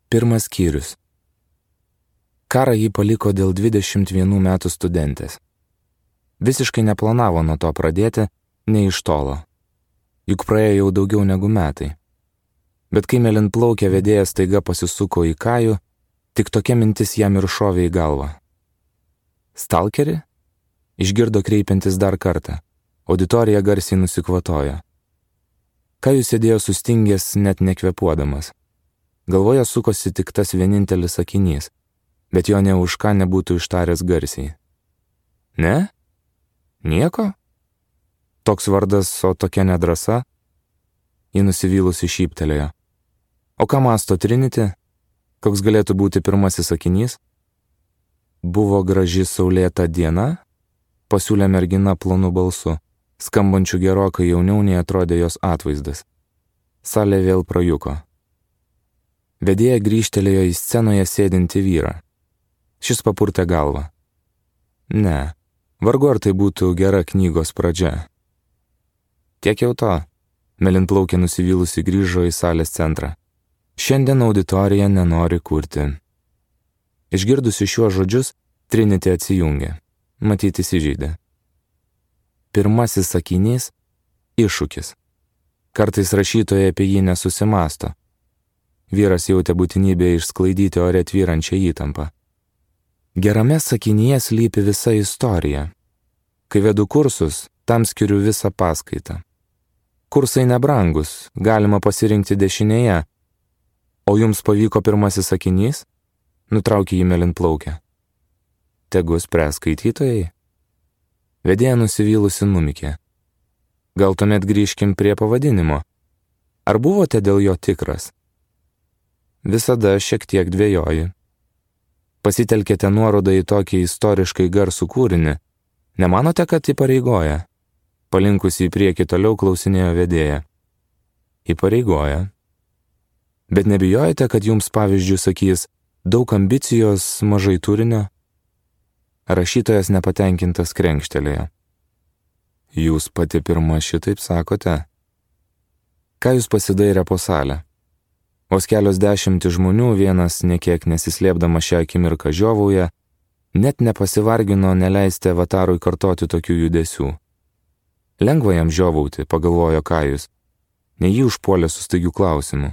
Pirmas skyrius. Karą jį paliko dėl 21 metų studentės. Visiškai neplanavo nuo to pradėti, nei iš tolo. Juk praėjo jau daugiau negu metai. Bet kai mėlynplaukė vedėjas staiga pasisuko į Kajų, tik tokia mintis jam ir šovė į galvą. Stalkerį? Išgirdo kreipiantis dar kartą. Auditorija garsiai nusikvatojo. Kajus sėdėjo sustingęs, net nekvepuodamas. Galvoje sukosi tik tas vienintelis sakinys, bet jo ne už ką nebūtų ištaręs garsiai. Ne? Nieko? Toks vardas, o tokia nedrąsa? Ji nusivylusi šyptelėjo. O ką mąsto Trinity? Koks galėtų būti pirmasis sakinys? Buvo graži saulėta diena? Pasiūlė mergina plonu balsu, skambančiu gerokai jauniau nei atrodė jos atvaizdas. Salė vėl prajuko. Vedėja grįžtelėjo į scenoje sėdintį vyrą. Šis papurtė galvą. Ne, vargu ar tai būtų gera knygos pradžia. Tiek jau to, mėlynplaukė nusivylusi grįžo į salės centrą. Šiandien auditorija nenori kurti. Išgirdusi šiuos žodžius, Trinity atsijungė. Matyt, įsižeidė. Pirmasis sakinys – iššūkis. Kartais rašytojai apie jį nesusimąsto. Vyras jautė būtinybę išsklaidyti ore tvyrančią įtampą. Gerame sakinyje slypi visa istorija. Kai vedu kursus, tam skiriu visą paskaitą. Kursai nebrangus, galima pasirinkti dešinėje. O jums pavyko pirmasis sakinys? Nutraukė jį mėlynplaukę. Tegu spręs skaitytojai. Vedėja nusivylusi numykė. Gal tuomet grįžkim prie pavadinimo. Ar buvote dėl jo tikras? Visada šiek tiek dvejoji. Pasitelkėte nuorodą į tokį istoriškai garsų kūrinį. Nemanote, kad įpareigoja? Palinkusi į priekį toliau klausinėjo vedėja. Įpareigoja. Bet nebijojate, kad jums pavyzdžių sakys daug ambicijos, mažai turinio? Rašytojas nepatenkintas krenkštelėjo. Jūs pati pirma šitaip sakote? Ką jūs pasidairė po salę? Vos kelios dešimtys žmonių, vienas nekiek nesislėpdama šią akimirką žiovauja, net nepasivargino neleisti avatarui kartoti tokių judesių. Lengva jam žiovauti, pagalvojo Kajus, nei jį užpuolė su staigiu klausimu.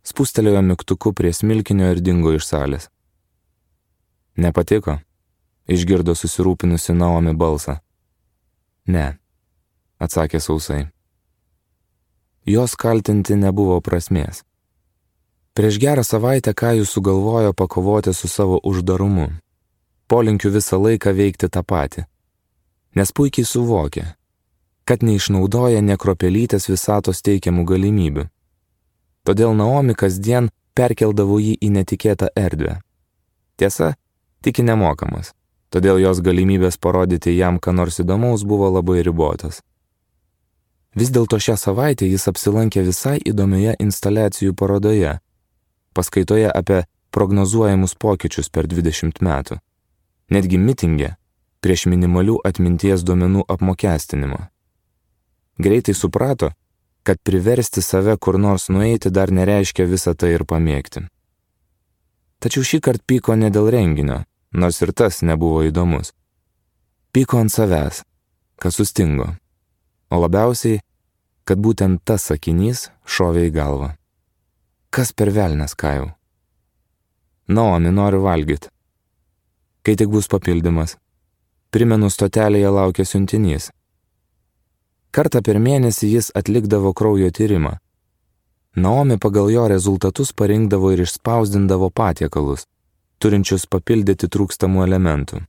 Spustelėjo mygtuku prie smilkinio ir dingo iš salės. Nepatiko? Išgirdo susirūpinusi Naomi balsą. Ne, atsakė sausai. Jos kaltinti nebuvo prasmės. Prieš gerą savaitę Kajus sugalvojo pakovoti su savo uždarumu. Polinkiu visą laiką veikti tą patį. Nes puikiai suvokė, kad neišnaudoja nė kruopelytės visatos teikiamų galimybių. Todėl Naomi kasdien perkeldavo jį į netikėtą erdvę. Tiesa, tik nemokamas, todėl jos galimybės parodyti jam ką nors įdomaus buvo labai ribotas. Vis dėlto šią savaitę jis apsilankė visai įdomioje instaliacijų parodoje, paskaitoje apie prognozuojamus pokyčius per 20 metų, netgi mitinge prieš minimalių atminties duomenų apmokestinimą. Greitai suprato, kad priversti save kur nors nueiti dar nereiškia visą tai ir pamėgti. Tačiau šįkart pyko ne dėl renginio, nors ir tas nebuvo įdomus. Pyko ant savęs, kad sustingo, o labiausiai, kad būtent tas sakinys šovė į galvą. Kas per velnias, Kajau? Naomi, noriu valgyti. Kai tik bus papildymas. Primenu, stotelėje laukia siuntinys. Kartą per mėnesį jis atlikdavo kraujo tyrimą. Naomi pagal jo rezultatus parinkdavo ir išspausdindavo patiekalus, turinčius papildyti trūkstamų elementų.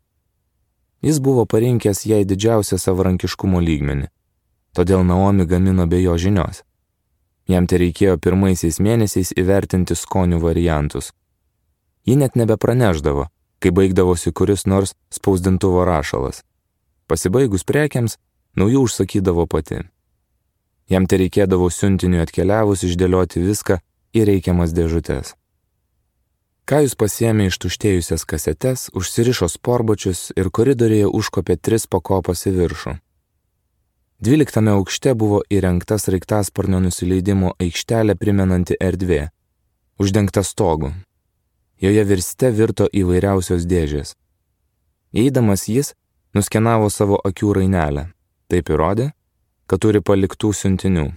Jis buvo parinkęs jai didžiausią savarankiškumo lygmenį, todėl Naomi gamino be jo žinios. Jam tereikėjo pirmaisiais mėnesiais įvertinti skonių variantus. Ji net nebepraneždavo, kai baigdavosi kuris nors spausdintuvo rašalas. Pasibaigus prekiams, naujų užsakydavo pati. Jam tereikėdavo siuntiniui atkeliavus išdėlioti viską į reikiamas dėžutes. Kajus pasiėmė ištuštėjusias kasetes, užsirišo sportbačius ir koridoriuje užkopė 3 pakopas į viršų. 12 aukšte buvo įrengta sraigtasparnio nusileidimo aikštelė primenanti erdvė, uždengta stogu. Joje virste virto įvairiausios dėžės. Eidamas jis nuskenavo savo akių rainelę. Taip įrodė, kad turi paliktų siuntinių.